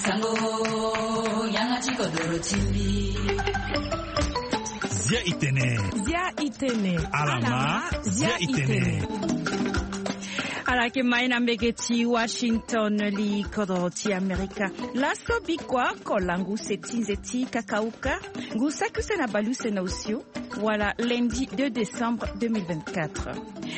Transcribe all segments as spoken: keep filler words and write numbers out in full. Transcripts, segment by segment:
Sango, yanga ti kodoro ti mbi. Zia itene. Zia itene. Alama, zia itene. Ala yeke mai na mbege ti Washington, li kodoro ti Amerika. Laso bikua oko langu se ti nze ti kakauka, ngu saki use na baleuse na osio, wala lundi deux décembre deux mille vingt-quatre.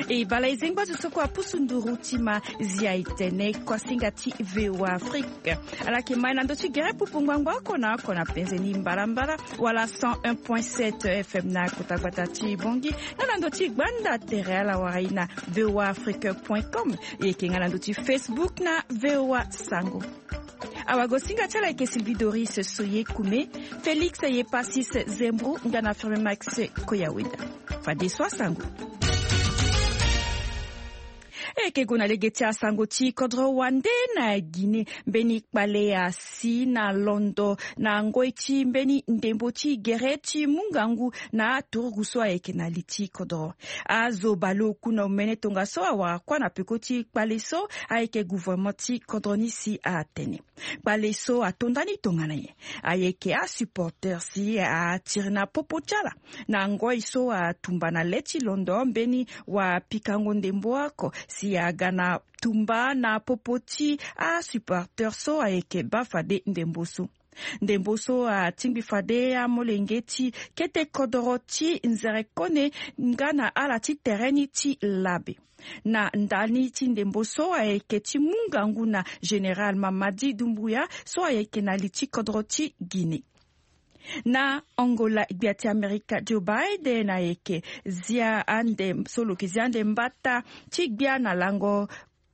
E bala e zengba zo so kue apusu nduru ti ma zia itene kuasinga ti V O A Afrique. Ala yeke mai na ndö ti gere pupu ngbangba oko na oko na penze ni mbalambala, wala cent un point sept F M na kota gbata ti Bongi, nga na ndö ti gbanda tere ala wara e na V O A Afrique point com. E yeke nga na ndö ti Facebook na V O A Sango. Awagosinga ti ala ayeke Sylvie Doris Soye Kume, Félix Yepasis Zembro nga na Firme Max Koyaweda. Fadeso asango. E yeke gue na lege ti asango ti kodro wande na Guinée. Mbeni kpale asi na londo na ngoi ti mbeni ndembo ti gere ti mu ngangu na aturugu so ayeke na li ti kodro. Azo baleoku na omene tongaso awara kuâ na peko ti kpale so ayeke gouvernement ti kodro ni si atene. Kpale so ato nda ni tongana nyen? Ayeke asupporter si atiri na popo ti ala na ngoi so atumba na le ti londo mbeni wapikango ndembo oko si aga na tumba na popo ti asupporter so ayeke baa fade ndembo so. Ndembo so atingbi fade amolenge ti kete kodoro ti nzerekone nga na ala ti tere ni ti labe. Na ndani ti ndembo so ayeke ti mu ngangu na Général Mamadi Doumbouya so ayeke na li ti kodro ti Guinée. Na Angola, gbia ti Amerika Joe Biden ayeke zia ande so lo yeke zia ande mbata ti gbia na lango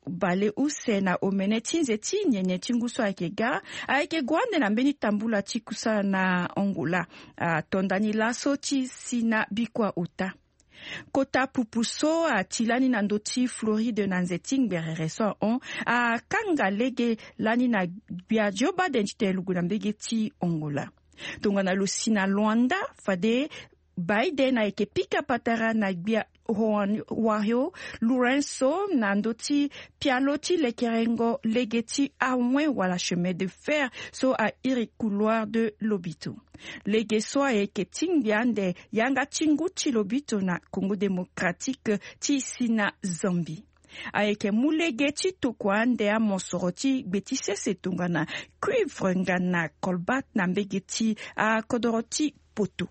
baleuse na omene ti nze ti nyenye ti ngu so ayeke ga. Ayeke gue ande na mbeni tambula ti kusala na Angola. Ato nda ni laso ti si na bikua ota. Kota pupu so ati lani na ndö ti Floride na nze ti ngberere so ahon akanga lege lani na gbia Joe Biden titene lo gue na mbege ti Angola. Tongana lo si na Luanda, fade Biden ayeke pika patara na gbia Juan Wario Lorenzo na ndö ti pialo ti lekerengo lege ti awen wala chemin de fer so airi couloir de Lobito. Lege so ayeke tingbi ande yanga ti ngu ti Lobito na Congo Démocratique ti si na Zambie. Ayeke mu lege ti tokua ande amosoro ti gbe ti sese tongana cuivre nga na colbert na mbege ti akodoro ti poto.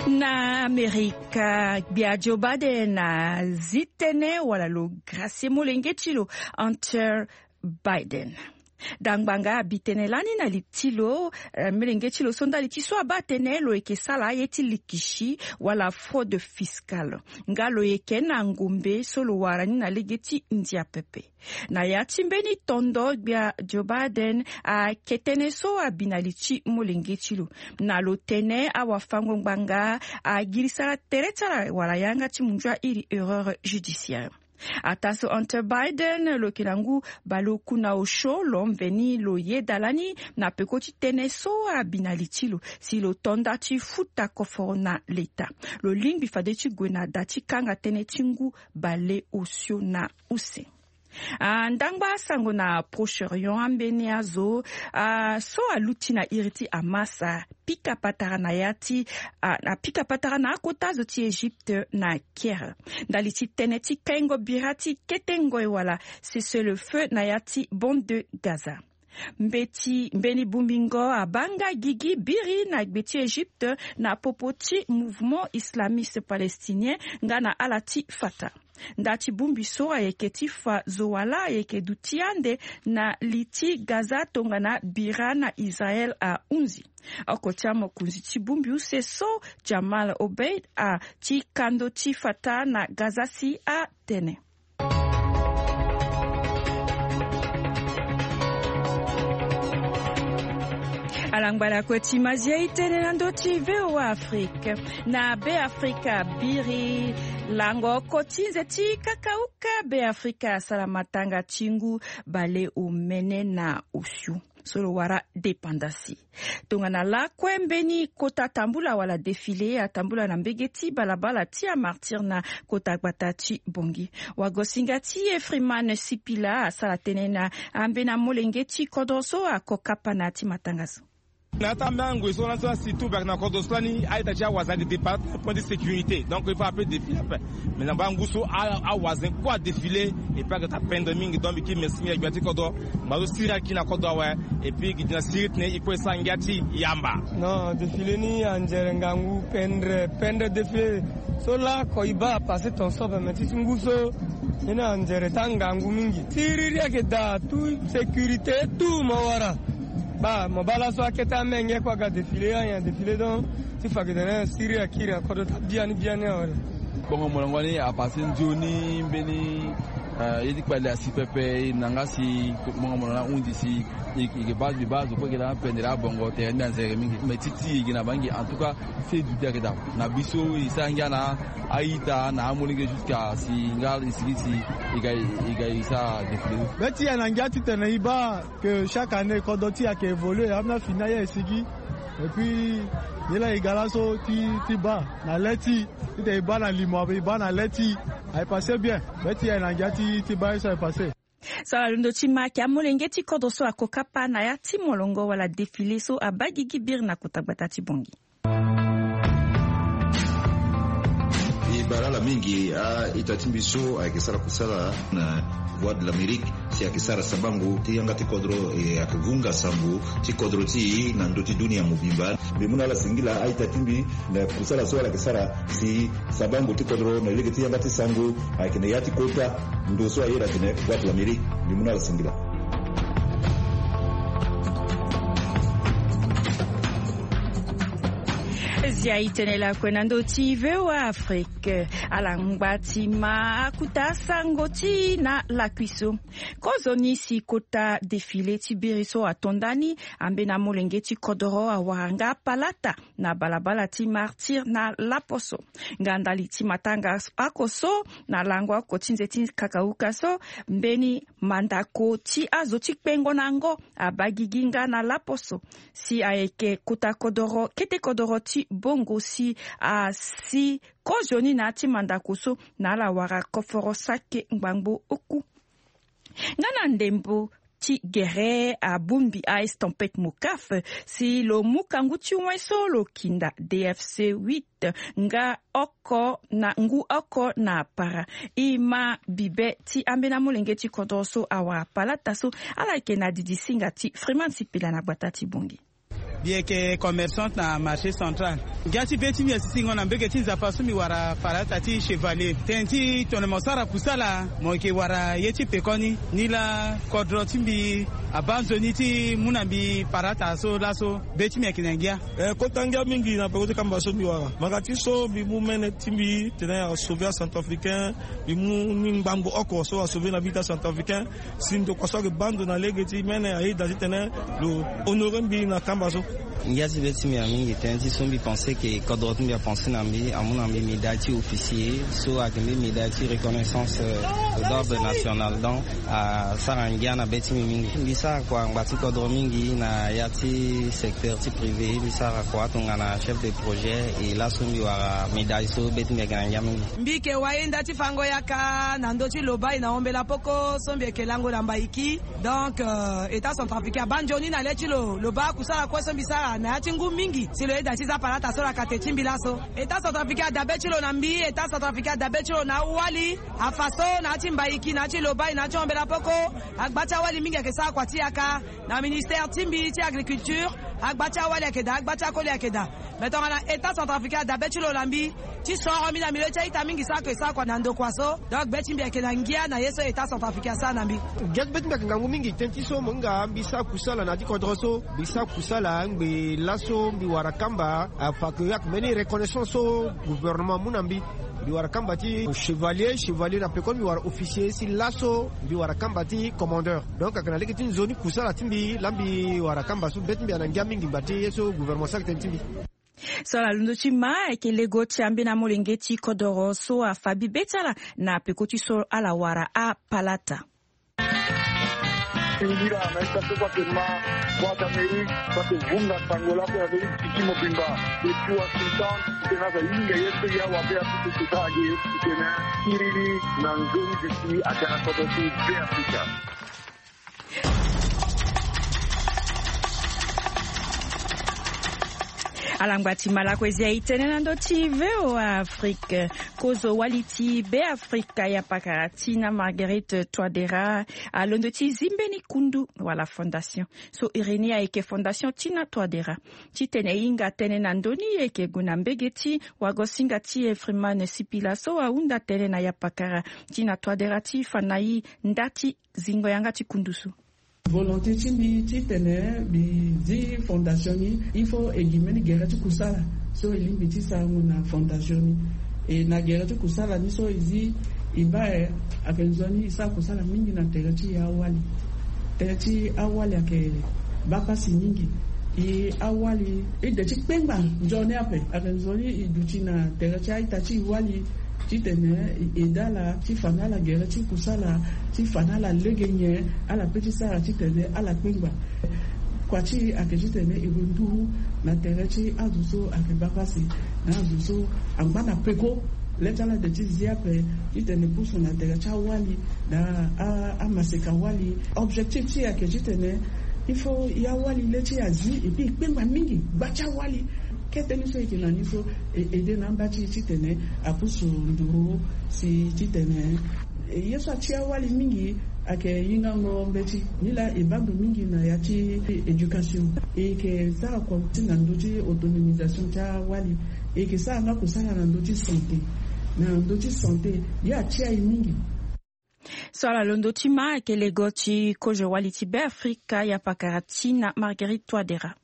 Na Amerika, gbia Joe Biden azi tënë wala lo gracier molenge ti lo Hunter Biden. Dangbanga abi tënë lani na li ti lo, eh, molenge ti lo so ndali ti so abaa tënë lo yeke sara aye ti likisi wala fraude fiscale. Nga lo yeke na ngombe so lo wara ni na lege ti ndia pepe. Na ya ti mbeni tondo gbia Joe Biden ayeke tënë so abi na li ti molenge ti lo. Na lo tene awafango ngbanga agirisa tere ti ala wala yanga ti munzu airi erreur judiciaire. Ataa so Hunter Biden lo yeke na ngu baleoku na osio lo mveni lo yeda lani na peko ti tënë so abi na li ti lo si lo to nda ti futa koforo na leta. Lo lingbi fade ti gue na da ti kanga tënë ti ngu baleosio na use. Ah, ndangba asango na Proche-Orient, ambeni azo, ah, so aluti na iri ti Hamas, ah, pika patara na ya ti, ah, apika patara na akota zo ti Egypte na Caire. Ndali ti tënë ti kaingo bira ti kete ngoi wala cessez-le-feu na ya ti bande de Gaza. Mbeti mbeni bongbingo abaa nga gigi biri na gbe ti Egypte na popo ti mouvement islamiste palestinien nga na ala ti Fatah. Nda ti bongbi so ayeke ti fa zo wala ayeke duti ande na li ti Gaza tongana bira na Israël ahunzi. Oko ti amokonzi ti bongbi use so, Jamal Obeid, ati kando ti Fatah na Gaza si atene. Ala ngbala kue ti mazia e tene na ndö ti V O A Afrique. Na Be Afrika biri lango oko ti nze ti kakauka Be Afrika asara matanga ti ngu baleomene na osio. So lo wara dépendance. Tongana lakue mbeni kota tambula wala défilé atambula na mbege ti balabala ti amartyr na kota gbata ti Bongi. Wagosinga ti Efriman Sipila asara tënë na ambeni amolenge ti kodro so ako kapa na ya ti matanga so. Na ya ti ambeni angoi so lani so asi tu bak na kodro so lani a-ita ti awazen ake départ na point de sécurité, donc il faut ape défilé ape. Mais na mbaa ngu so awazen kue adéfilé. Et puis ayeke taa pendre mingi, donc mbi kiri merci mingi na gbia ti kodro. Ngba so siriri akiri na kodro awe. Et puis gi di na siriri titene e kue e sara ngia ti yamba. Non, défilé ni anzere ngangu, pendre pendre défilé. So lako e baa apassé ton so ape, mais ti ti ngu so ni anzere taa ngangu mingi. Siriri ayeke daa, tout sécurité tout mo wara. Baa mo baa laso akete amenge kue aga défilé, anyen défilé donc ti fa gi tene siriri akiri na kodro taa biani biani awe. Bongo molongo ni apassé nzoni mbeni, eh, ye ti kpale asi pepe, e na nga si bongo molongo ni ahunzi si e, e ke baa, mbi baa zo kue e ke laa pendere abongo tere mbi anzere mingi. Mais ti ti e gi na bangi, en tout cas, si e duti ayeke daa. Na biso e sara ngia na a-ita na amolenge jusqu'à si nga e sigi si e ga, e ga e sara défilé. Be ti e na ngia titene e baa que chaque année kodro ti e ayeke évolué, ambeni afini aye e sigi. Et puis ye laa e ga laso ti, ti baa na le ti e, titene e baa na limo ape, e baa na le ti e. Aye passé bien. Be ti e na ngia ti, ti baa ye so aye passé. So ala londo ti ma ayeke amolenge ti kodro so ako kapa na ya ti molongo wala défilé so abaa gigi biri na kota gbata ti Bongi. E baa ala mingi, a-ita ti mbi so ayeke sara kusala na Voix de l'Amérique, si ayeke sara sabango ti yanga ti kodro, e ayeke vunga sango ti kodro ti e na ndö ti dunia mobimba. Mbi mu na ala singila, a-ita ti mbi, na kusala so ala yeke sara si sabango ti kodro na lege ti yanga ti sango ayeke na ya ti kota ndo so ayeda atene Voix de l'Amérique. Mbi mu na ala singila. Zia e tene lakue na ndö ti V O A Afrique. Ala ngba ti ma akuta sango ti e na lakui so. Kozoni si kota défilé ti biri so ato nda ni, ambeni amolenge ti kodoro awara nga palata na balabala ti Martyr na laposo. Nga ndali ti matanga oko so, na lango oko ti nze ti kakauka so, mbeni mandako ti azo ti kpengo na yango abaa gigi nga na laposo. Si ayeke kota kodoro, kete kodoro ti Bongo si asi kozoni na ya ti mandako so, na ala wara koforo sake ngbangbo oku. Nga na ndembo ti gere abongbi a-estampette Mocaf si lo mu kangu ti wen so lo kinda D F C huit nga oko na ngu oko na apara. E ma bibe ti ambeni amolenge ti kodoro so awara palata so, ala yeke na didisinga ti Freeman Sipila na gbata ti Bongi. Mbi yeke commerçante na marché central. Ngia ti be ti mbi asisingo na mbege ti Nzapa so mbi wara palata ti Chevalier. Tënë ti tongana mo sara kusala, mo yeke wara ye ti pekoni. Ni laa kodro ti mbi abaa nzoni ti mu na mbi palata so laso. Be ti mbi ayeke na ngia. Eh, kota ngia mingi na peko ti kamba so mbi wara. Mbanga ti so mbi mu mene ti mbi tene asauver acentrafricain. Mbi mu ni ngbangbo oko so asauver na mbi ti acentrafricain. Si ndokua so ayeke baa ndo na lege ti mene ayeda titene lo honorer mbi na kamba so. Ngia ti be ti mbi amingi tënë ti so mbi pensé ke kodro ti mbi apenser na mbi, amu na mbi médaille ti officier so ayeke mbeni médaille ti reconnaissance, euh, d'ordre national. Donc asara ngia na be ti mbi mingi. Mbi sara kua ngba ti kodro mingi na ya ti secteur ti privé. Mbi sara kua tongana chef de projet, e laso mbi wara médaille so be ti mbi ayeke na ngia mingi. Mbi yeke wayenda ti fango yaka na ndö ti lobai na ombela poko so mbi yeke lango na Mbaiki. Donc, euh, État centrafricain abaa nzoni na le ti lo, lo baa kusala kue so mbi sara na ya ti ngu mingi si lo yeda ti zia palata so lakate ti mbi laso. État centrafricain adabe ti lo na mbi, État centrafricain adabe ti lo na awali, afa so na ya ti Mbaiki, na ya ti lobai, na ya ti ombela poko. Agba ti awali mingi ayeke sara kua ti yaka. Na ministère ti mbi ti agriculture, agba ti awali ayeke daa, agba ti akoli ayeke daa. Mais tongana État centrafricain adabe ti lo na mbi ti soro mbi na milieu ti a-ita mingi so ayeke sara kua na ndokua so. Donc be ti mbi ayeke na ngia na ye so État centrafricain asara na mbi. Ngia ti be ti mbi ayeke ngangu mingi tënë ti so mo hinga mbi sara kusala na ya ti kodro so. Mbi sara kusala ngbe laso mbi wara kamba, afa ke ayeke mbeni reconnaissance so gouvernement amu na mbi. Mbi wara kamba ti chevalier, chevalier na pekoni mbi wara officier, si laso mbi wara kamba ti commandeur. Donc ayeke na lege ti nzoni kusala ti mbi laa mbi wara kamba so. Be ti mbi ayeke na ngia mingi ngba ti ye so gouvernement asara tënë ti mbi. So ala londo ti ma ayeke lego ti ambeni amolenge ti kodoro so afa bibe ti ala na peko ti so ala wara apalata. Singila na ye so kue ake ma Voix d'Amérique, so ake vunga sango lakue na ndö ti ti mobimba. Depuis Washington, titene aza hinga ye so ya wabe apusu sosara ge, titene akiri ni na nzoni ti si ake na kodro ti Be Afrika. Ala ngba ti ma lakue zi aye ti tene na ndö ti V O A Afrique. Kozo wali ti Be Afrika ya pakara ti na Marguerite Touadéra alondo ti zi mbeni kundu wala fondation so iri ni ayeke fondation Tina Touadéra. Titene e hinga tënë na ndö ni, e yeke gue na mbege ti wagosinga ti e Freeman Sipila so ahunda tënë na yapakara Tina Touadéra ti fa na e nda ti zingo yanga ti kundu so. Volonté ti mbi titene mbi zi fondation ni, il faut e gi mbeni gere ti kusala so e lingbi ti sarango na fondation ni. E na gere ti kusala ni so e zi, e baa e ayeke nzoni e sara kusala mingi na tere ti e awali. Tere ti e awali ayeke baa pasi mingi. E awali e de ti kpengba nzoni ape. Ayeke nzoni e duti na tere ti a-ita ti e wali titene e ede ala ti fa na ala gere ti kusala, ti fa na ala lege nyen ala pe ti sara titene ala kpengba. Kua ti e ayeke titene e gue nduru na tere ti azo so ayeke baa pasi, na azo so angba na peko. Le ti ala de ti zi ape titene e pusu na tere ti awali na a, amaseka wali. Objectif ti e ayeke titene il faut e awali le ti e azi, et puis e kpengba mingi gba ti awali. Kete ni so e yeke na ni so e ede na amba ti e titene apusu nduru si titene, e, ye so ati awali mingi ayeke hingango mbeti. Nilaa e baa ndo mingi na ya ti éducation. E yeke sara kua ti na ndö ti autonomisation ti awali. E yeke sara nga kusala na ndö ti santé. Na ndö ti santé ye ati aye mingi. So ala londo ti ma ayeke lego ti kozo wali ti Be Afrika ya pakara ti na Marguerite Touadéra.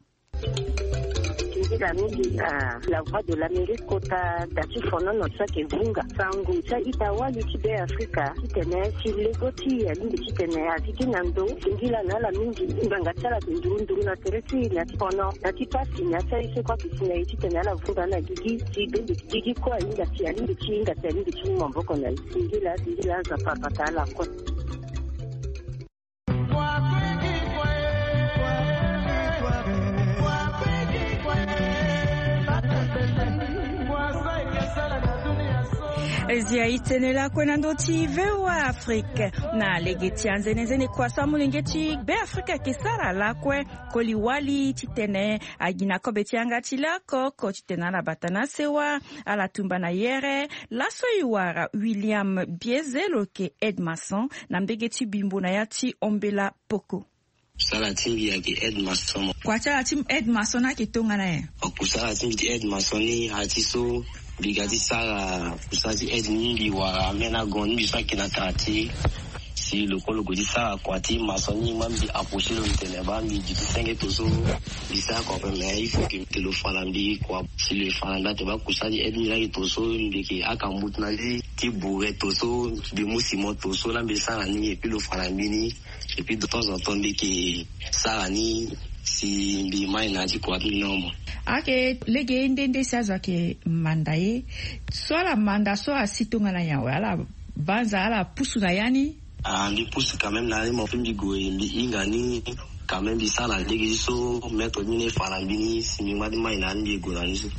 Singila mingi, ah, La Voix de l'Amérique kota da ti fonono so ayeke vunga sango ti a-ita wali ti Be Afrika titene si lego ti e alingbi titene azi gi na ndo. Singila na ala mingi, ngbanga ti ala ayeke nduru nduru na tere ti e na ti fono na ti pasi na ya ti aye so kue ayeke si na e titene ala vunga na gigi ti bembe gigi kue ahinga ti alingbi ti hinga ti alingbi ti mu maboko na e. Singila, singila, Nzapa abata ala kue. Zi aye ti tene lakue na ndö ti V O A Afrique. Na lege ti anzenenzene kua so amolenge ti Be Afrika ayeke sara lakue koli wali titene agi na kobe ti yanga ti lako oko titene ala bata na sewa, ala tumba na yere. Laso e wara William Bieze lo yeke aide maçon na mbege ti Bimbo na ya ti Ombela Poko. Kusala ti mbi ayeke aide maçon. Kua ti ala ti aide maçon ni ayeke tongana nyen? Kusala ti mbi ti aide maçon ni ati so mbi ga ti sara kusala ti aide ni, mbi wara ambeni agon ni mbi so ayeke na quartier. Si lo kue lo gue ti sara kua ti maçon ni, ma mbi approcher lo, mbi tene baa mbi duti senge to so mbi sara kua ape, mais il faut que lo fa na mbi kua. Si lo fa na mbi ate baa kusala ti aide ni laa ayeke to so mbi yeke aka mbutu na mbi ti bourre to so mbi mu ciment to so laa mbi sara ni, et puis lo fa na mbi ni. Et puis de temps en temps mbi yeke sara ni si mbi mai na ya ti kua ti mbi ni omo. Ayeke lege ye nde nde si azo ayeke manda ye. So ala manda so asi tongana nyen awe? Ala banza, ala pusu na ya ni? Ah, mbi pusu quand même na ya ni, mo mbi gue mbi hinga ni. Quand même mbi sara na lege ti so maître ti mbi ni fa na mbi ni si mbi ngba ti mai na ya ni, mbi gue na ni so.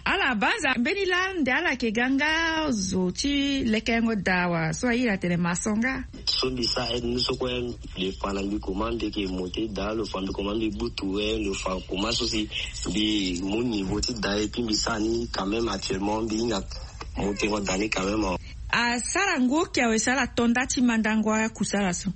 Ala banza mbeni lande ala yeke ga nga zo ti lekerengo daa wa so airi atene maçon nga? So mbi sara aide ni so kue, mbi fa na mbi comment mbi yeke monter daa, lo fa mbi comment mbi gbutu we, lo fa comment so si mbi mu niveau ti daa, et puis mbi sara ni quand même actuellement, mbi hinga monter ngo daa ni quand même. Asara ngu oki awe si ala to nda ti mandango akusala so?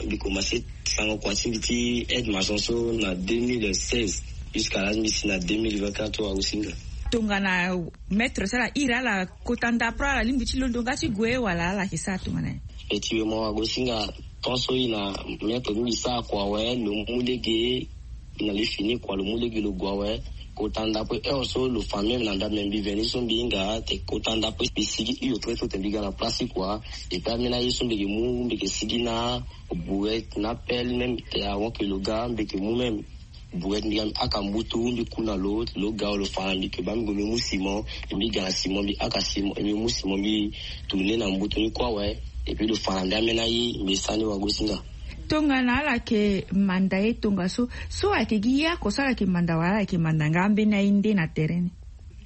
Mbi commencer sango kua ti mbi ti aide maçon so na deux mille seize, jusqu'à là mbi si na deux mille vingt-quatre oyo agosinga. Tongana maître so ala iri ala kota ndapre, ala lingbi ti londo nga ti gue wala ala yeke sara tongana nyen? Effectivement, agosinga, tant so e na maître ni mbi sara kua awe, lo mu lege na li fini kua, lo mu lege lo gue awe. Kota ndapre heure so lo fa même na ndapre, me mbi veni so mbi hinga te kota ndapre mbi sigi hio très tôt te mbi ga na place ti kua. Et puis ambeni aye so mbi yeke mu, mbi yeke sigi na bourette na pelle même te avant que lo ga mbi yeke mu même bourette, mbi ga mbi aka mbutu mbi ku na lo, lo ga lo fa na mbi que baa mbi gue mbi mu ciment. Et mbi ga na ciment mbi aka ciment, et mbi mu ciment mbi tourner na mbutu ni kue awe. Et puis lo fa na mbi ambeni aye mbi sara ni wagosinga. Tongana ala yeke manda ye tongaso, so ayeke gi ye oko so ala yeke manda wala ala yeke manda nga ambeni aye nde na tere ni?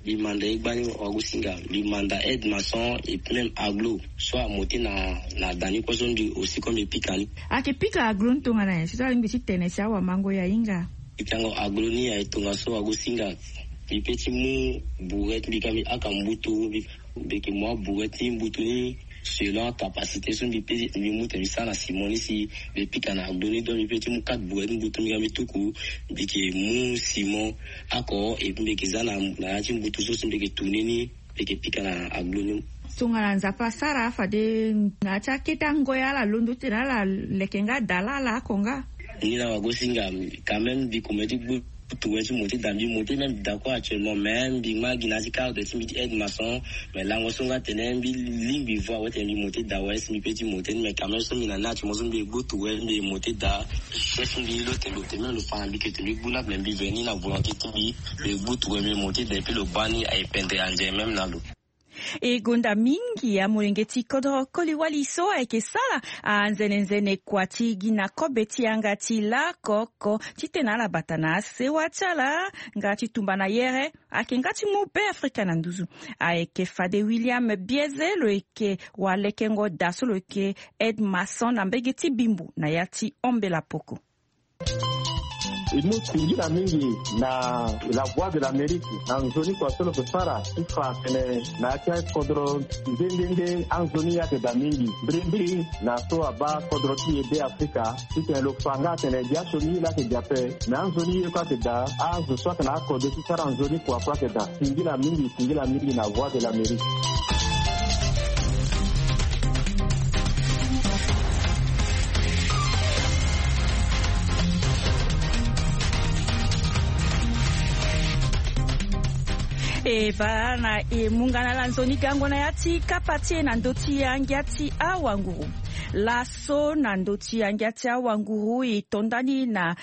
Mbi manda ye gbani wagosinga, mbi manda aide maçon et puis même aglo so amote na na da ni kue so mbi aussi comme mbi pika ni. Ayeke pika aglo ni tongana nyen si so alingbi ti tene si awamango ya hinga? Pikango aglo ni aye tongaso wagosinga. Mbi pe ti mu bourette mbi ka mbi aka mbutu mbi mbi yeke mu abourette ti mbutu ni selon capacité so mbi pe mbi mu tene mbi sara na simon ni si mbi pika na aglo ni donc mbi pe ti mu quatre bourette ti mbutu mbi ga mbi tuku. Mbi yeke mu simon oko et puis mbi yeke za na na ya ti mbutu so si mbi yeke tourner ni. Mbi yeke pika na aglo ni. Tongana nzapa asara fade na ya ti akete angoi ala londo ti tene ala leke nga da laa ala oko nga. Ni na wagosinga quand même mbi koma ti gbu tuwe ti mo ti da mbi mo ti même d'accord actuellement mais mbi ma gi na ti carte ti mbi ti aide maçon. Mais lango so nga tene mbi lingbi voi awe tene mbi mo ti da awe si mbi pe ti mo ti mais quand même so mbi na ni actuellement so mbi gbu tuwe mbi mo ti da. Chef mbi lo tene lo tene même lo fa na mbi ke tene mbi gbu na mais mbi veni na volonté ti mbi. Mbi gbu tuwe mbi mo ti da et puis lo baa ni aye pendre anze même na lo. E gonda mingi amolenge ti kodro koli wali so ayeke sara anzene nzene kua ti gi na kobe ti yanga ti laoko oko titene ala bata na asewa ti ala nga ti tumba na yere. Ayeke nga ti mu be afrika na nduzu. Ayeke fade william bieze lo yeke walekengo daa so lo yeke aide maçon na mbege ti bimbo na ya ti ombela poko. E mu singila mingi na la voie de l'amérique na nzoni kua so lo ke sara ti fa atene na ya ti akodro nde nde nde anzoni ye ake daa mingi mbirimbiri na so abaa kodro ti e be afrika. Titene lo fa nga atene dia so ni ye laa ake dia ape. Me anzoni ye kue ake daa azo so ake na akode ti sara nzoni kua kue ake daa. Singila mingi singila mingi na voie de l'amérique. E baa na e mu nga na ala nzoni gango na ya ti kapa ti e na ndö ti angia ti awanguru. Laso na ndö ti angia ti awanguru e to ndani na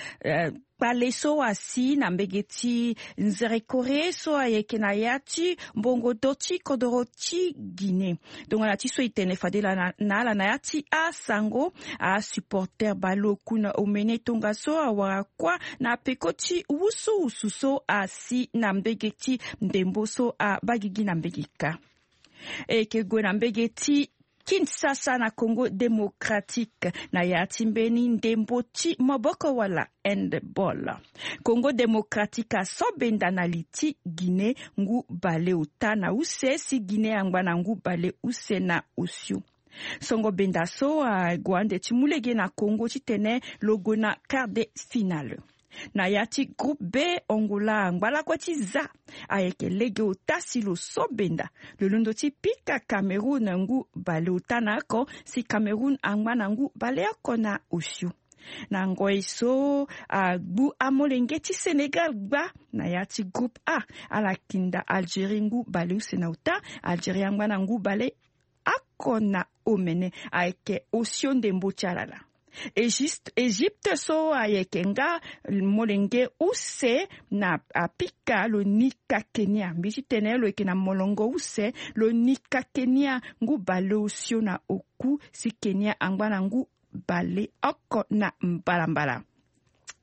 kpale so asi na mbege ti nzerekore so ayeke na ya ti mbongo do ti kodoro ti guinée. Tongana ti so e tene fade laa na ala na ya ti asango asupporter baleoku na omene tongaso awara kuâ na peko ti wusuwusu so asi na mbege ti ndembo so abaa gigi na mbege kâ. E yeke gue na mbege ti kinshasa na congo démocratique na ya ti mbeni ndembo ti maboko wala handball. Congo démocratique aso benda na li ti guinée ngu baleota na use si guinée angba na ngu baleuse na osio. Songo benda so ague ande ti mu lege na congo titene lo gue na quart de finale. Na ya ti groupe b angola angba lakue ti za ayeke lege ota si lo so benda lo londo ti pika cameroun ngu baleota na oko si cameroun angba na ngu baleoko na osio. Na ngoi so agbu amolenge ti sénégal gba na ya ti groupe a ala kinda algérie ngu baleuse na ota. Algérie angba na ngu baleoko na omene ayeke osio ndembo ti ala laa. Egypte so ayeke nga molenge use na apika lo nika kenya mbi ti tene lo yeke na molongo use lo nika kenya ngu baleosio na oku si kenya angba na ngu baleoko na mbalambala.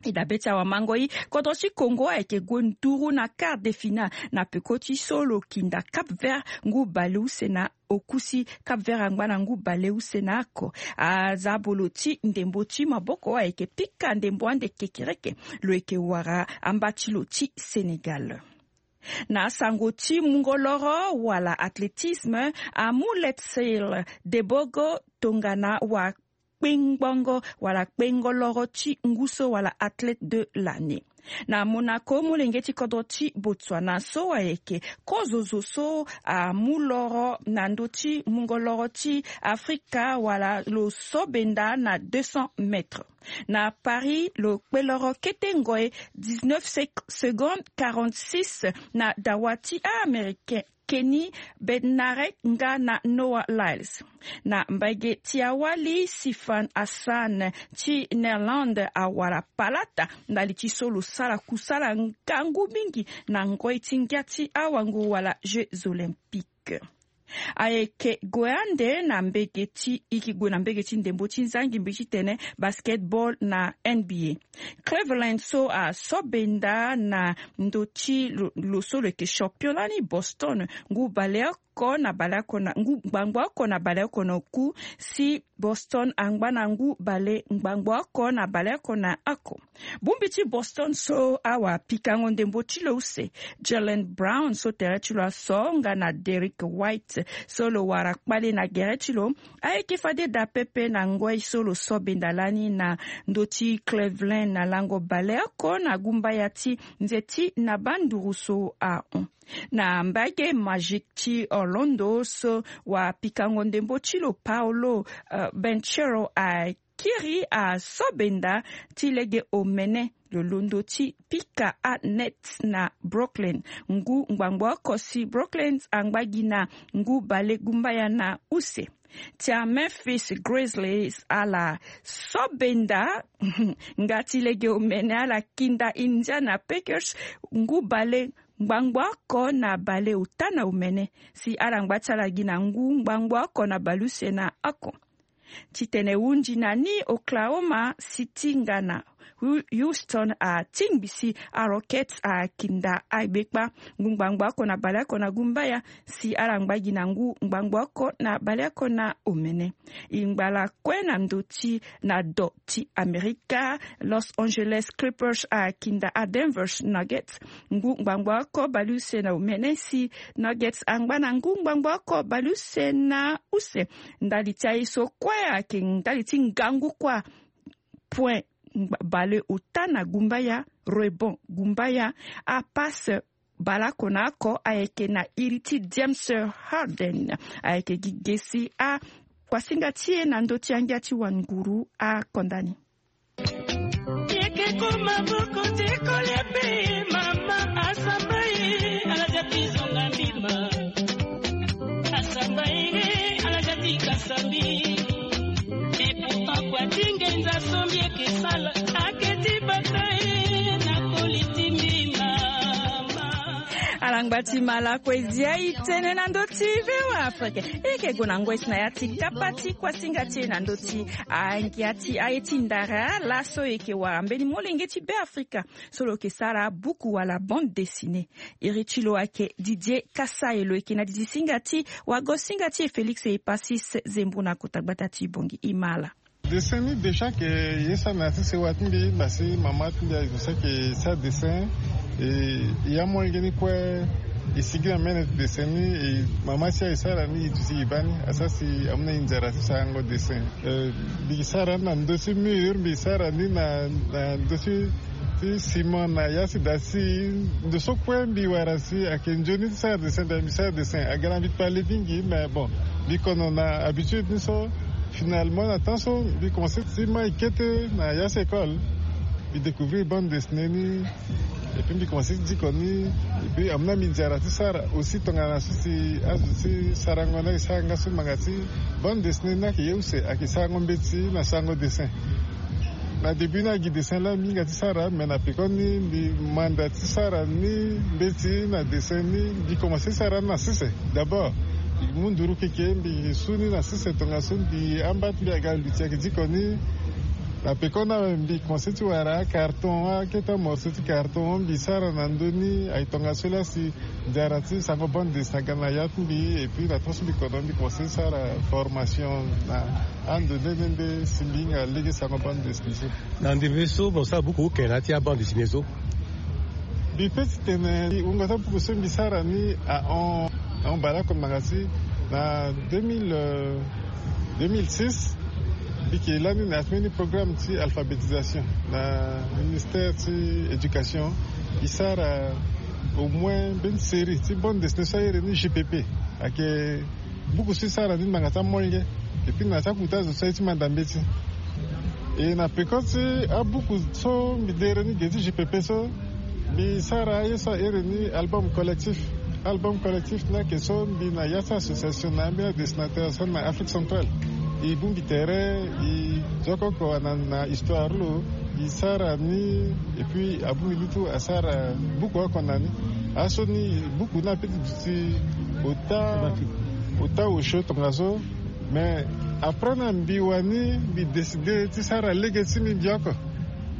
E dabe ti awamango i kodro ti congo ayeke gue nduru na quart de finale na peko ti so lo kinda cap vert ngu baleuse na oku si cap vert angba na ngu baleuse na oko. Aza bolo ti ndembo ti maboko ayeke pika ndembo ande kekereke lo yeke wara amba ti lo ti sénégal. Na asango ti mungo loro wala athlétisme amu letsel debogo tongana wa kpengbongo wala kpengo loro ti ngu so wala athlète de l'année. Na monaco molenge ti kodro ti botswana so ayeke kozozo so amu loro na ndö ti mungo loro ti afrika wala lo so benda na deux cents mètres. Na paris lo kpe loro kete ngoi dix-neuf secondes quarante-six na dawa ti américain kenny bednarek nga na noah lyles. Na mbage ti awali sifan hassan ti nerlande awara palata ndali ti so lo sara kusala ngangu mingi na ngoi ti ngia ti awango wala jeux olympiques. Ayeke gue ande na mbege ti, e yeke gue na mbege ti ndembo ti nzangimbi titene basketball na N B A. Cleveland so asobenda na ndö ti lo so lo yeke champion lani, Boston, ngu baleoko na baleoko na ngu ngbangbo oko na baleoko na oku, si Boston angba na ngu bale ngbangbo oko na baleoko na oko. Bongbi ti Boston so awapikango ndembo ti lo use, Jaylen Brown so tere ti lo aso nga na Derrick White so lo wara kpale na gere ti lo, ayeke fade daa pepe na ngoi so lo so benda lani na ndö ti Cleveland na lango baleoko na gumbaya ti nze ti na banduru so ahon. Na mbage Magic ti Orlando so wapikango ndembo ti lo Paolo Banchero akiri aso benda ti lege omene lo londo ti pika anet na Brooklyn ngu ngbangbo oko, si Brooklyn angba gi na ngu bale gumbaya na use. Ti a Memphis Grizzlies ala so benda nga ti lege omene ala kinda Indiana Pacers ngu bale ngbangbo oko na bale ota na omene, si ala ngba ti ala gi na ngu ngbangbo oko na baleuse na oko. Titene hunzi na ni, Oklahoma City nga na Houston atingbi si a Rockets akinda agbekpa ngu ngbangbo oko na baleoko na gumbaya, si ala ngba gi na ngu ngbangbo oko na baleoko na omene. E ngba lakue na ndö ti na do ti Amerika, Los Angeles Clippers akinda a Denver Nuggets ngu ngbangbo oko baleuse na omene, si Nuggets angba na ngu ngbangbo oko baleuse na use. Ndali ti aye so kue ayeke ndali ti ngangu kua. Point bale ota na gumbaya, rebond gumbaya, apasse baleoko na oko ayeke na iri ti James Harden. Ayeke gi ge si akuasinga ti e na ndö ti angia ti wanguru akonda ni. Yeke ko maboko ti kolia pe mama asamba ye, ala ja ti zonga mbima. Asamba ye, ala ja ti kasa mbi. Et pourtant kua ti ngenza so mbi yeke sala ake ti bata ye na koli ti mbi mama. Alangba ti malako e zia e tene na ndö ti V O A Afrique. E yeke gue na ngoi si na ya ti kapa ti kuasinga ti e na ndö ti angia ti aye ti ndara laso e yeke wara mbeni molenge ti Beafrika so lo yeke sara abuku wala bande dessinée. Iri ti lo ayeke Didier Kasai, lo yeke na didi singa ti wago singa ti e Félix Epasis Zembo na kota gbata ti Bangui. E ma ala. Dessin ni déjà ke ye sara na ya ti sewa ti mbi, basi mama ti mbi azo so ayeke sara dessin. E ya molenge ni kue e sigi na mene ti dessin ni. E mama si aye sara ni e duti e baa ni asara si amu na e nzara ti sarango dessin. Mbi sara ni na ndö ti mur, mbi sara ni na ndö ti ti ciment na ya si daa si ndo so kue mbi wara si ayeke nzoni ti sara dessin, daa mbi sara dessin aga na mbi kpale mingi. Mais bon, mbi kono na habitude ni so. Finalement na temps so mbi commencer ti mai kete na ya si école, mbi découvrir bande dessinée ni. Et puis mbi commencer ti diko ni. Et puis amu na mbi nzara ti sara aussi tongana so si azo ti sarango ni ayeke sara nga so manga ti bande dessinée ni ayeke ye use ayeke sarango mbeti na sarango dessin. Na début ni agi dessin laa mbi hinga ti sara, mais na pekoni mbi manda ti sara ni mbeti na dessin ni. Mbi commencer ti sara ni na sese d'abord. Mbi mu nduru keke mbi su ni na sese tongaso mbi amba ti mbi aga luti ayeke diko ni. Na pekoni awe mbi commencer ti wara acarton, akete amorceau ti carton mbi sara na ndö ni. Aye tongaso laa si nzara ti sango bande dessin aga na ya ti mbi. Et puis na temps so mbi kono mbi commencer ti sara formation na ando nde nde nde si mbi hinga lege sango bande dessin so. Na ndembe so mo sara buku oke na ya ti abande dessin so? Mbi pe ti tene wungo ti abuku so mbi sara ni ahon ahon baleoko manga ti na deux mille, euh, deux mille six. Mbi yeke lani na ya ti mbeni programme ti alphabétisation na ministère ti éducation. E sara au moins mbeni série ti bande dessinée so ahere ni G P P. Ayeke buku so e sara ni manga ti amolenge. Et puis na ya ti akuta azo so aye ti manda mbeti. E na peko ti abuku so mbi dere ni ge ti G P P so, mbi sara aye so ahere ni album collectif. Album collectif ni ayeke so mbi na ya ti association na ambeni adessinateur so na Afrique centrale. E bongbi tere e zo oko na histoire lo. E sara ni. Et puis abongbi ni tout asara buku oko na ni. Aso ni buku ni ape ti duti ota Ota osio tongaso. Mais après na mbi wani mbi décidé ti sara lege ti mbi mbi oko.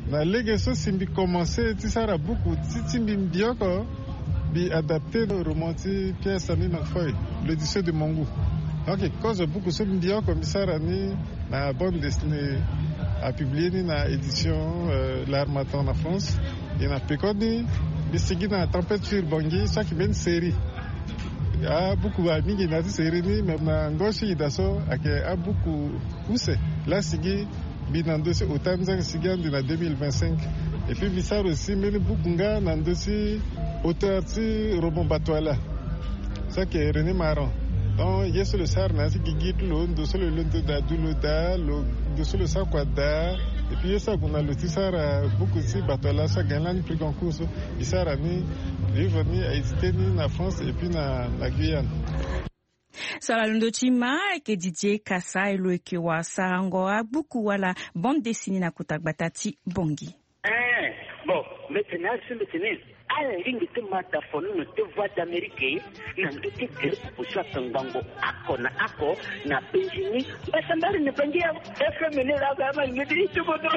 Na lege so si mbi commencé ti sara buku ti ti mbi mbi oko. Mbi adapté roman ti Pierre Samy McFoy, l'Odyssée de Mongu. Donc kozo buku so mbi oko mbi sara ni na bande dessinée apublié ni na édition euh, L'Harmattan na France. E na pekoni mbi sigi na Tempête sur Bangui so ayeke mbeni série. Abuku amingi na ya ti série ni me na ngoi ti ida so ayeke abuku use. Laa sigi mbi na ndö ti ota ni so ayeke sigi ande na deux mille vingt-cinq. Et puis mbi sara aussi mbeni buku nga na ndö ti auteur ti roman Batwala so ayeke René Maran. Donc ye so lo sara na ya ti gigi ti lo, ndo so lo londo daa du lo daa lo, ndo so lo sara kua daa. Et puis ye so ague na lo ti sara buku ti Batwala so agagne lani prix Goncourt so, e sara ni, livre ni a édité ni na France et puis na na Guyane. So ala londo ti ma ayeke Didier Kasa, e lo yeke wara sarango abuku wala bande dessinée na kota gbata ti Bangui. Eh, bon, mbi tene asi mbi tene ala lingbi ti ma dafonono ti Voix d'Amérique na ndö ti gere popo so ayeke ngbongo oko na oko na Bangui ni. Mbasambari na Bangui awe. F M ni laa ga ma ni ti bodo.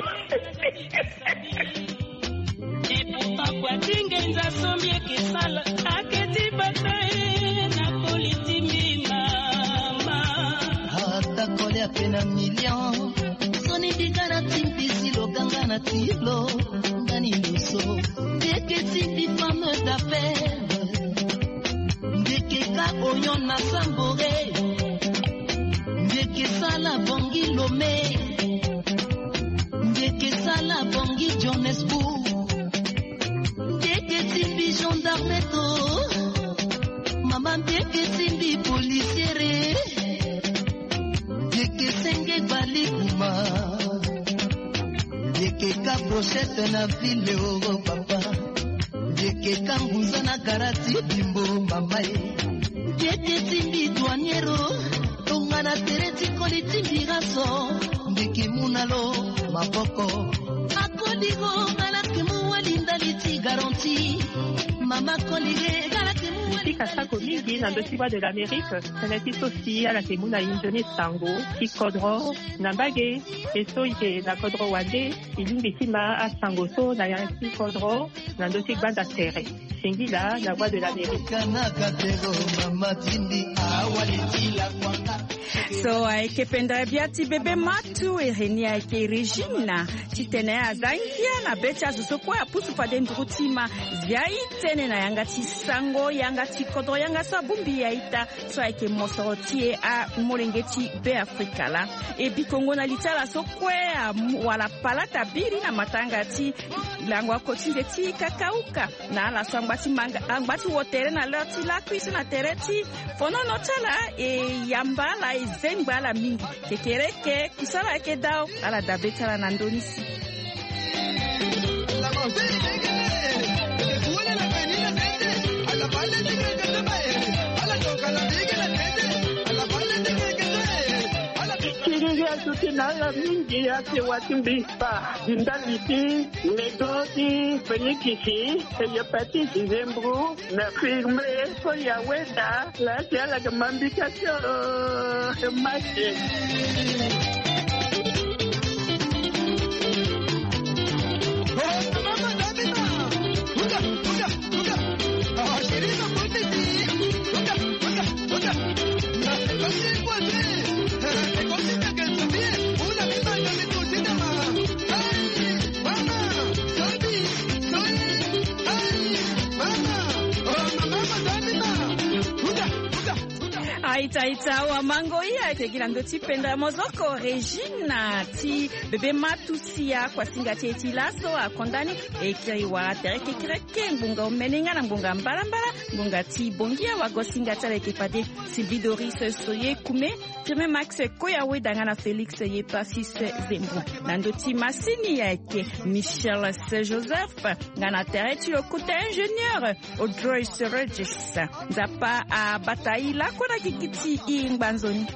Et pourtant kua ti ngenza so mbi yeke sala ake ti bata e na koli ti mbi mama. Ata koli ape na million. Soni mbi ga na ti mbi si lo ga nga na ti lo. Nga ni lo so mbi yeke ti mbi femme d'affaires. Mbi yeke ka Oyon na Sambore. Mbi yeke sala Bangui Lomé. Mbi yeke sala Bangui Johannesburg. Mbi yeke ti mbi gendarme to. Mama mbi yeke ti mbi policiere. Mbi yeke senge gbali kuma. Mbi yeke ka brochette na ville euro papa. Mbi yeke ka ngunza na gara ti bimbo mama e. Mbi yeke ti mbi douaniero. Tongana tere ti koli ti mbi ga so. Mbi yeke mu na lo maboko. Akoli go nga la yeke mu wali ndali ti garanti. Mama koli ge nga la yeke mu wali ndali ti garanti. Mbi fika sako mingi na ndö ti Voix de l'Amérique. Tënë ti so si ala yeke mu na e nzoni sango ti kodro na mbage. E so e yeke na kodro wande, e lingbi ti ma asango so na ya ti kodro na ndö ti gbanda tere. Singila na Voix de l'Amérique. So ayeke pendere bia ti bebe matu, ere ni ayeke Régine. Titene aza ngia na be ti azo so kue apusu fade nduru ti ma. Zia e tene na yanga ti sango, yanga ti kodro, yanga so abongbi ya ita. So ayeke mosoro ti e amolenge ti Beafrika laa. E bikongo na li ti ala so kue amu wala palata biri na matanga ti lango akotinde ti kakauka. Na ala so angba ti manga, angba ti wo tere na leur ti lakui so na tere ti fonono ti ala, e yamba ala, e zengba ala mingi. Kekereke kusala ayeke dao, ala dabe ti ala na ndö ni si. Kiri azo ti na ala mingi ake wa ti mbi. Ba di ndali ti nego ti fenikisi, hepatite, zembro, na firme so ya weda. Laa si ala yeke ma mbi kasi o. Maki. Aita, aita, awa mango, e ayeke gi na ndö ti pendere mozoko. Régine ti bebe matu sia kuasinga ti e ti laso akonda ni. E kiri wara tere kekereke ngbonga omene nga na ngbonga mbalambala, ngbonga ti bongi awagosinga ti ala ayeke fade. Sylvie Doris Soye Kume, Firmin Max Koya Weda nga na Félix Yepasis Zembo. Na ndö ti masini ayeke Michel Joseph, nga na tere ti lo kota ingénieur Audrey Seregis. Nzapa abata e lakue na gigi ti e ngba nzoni.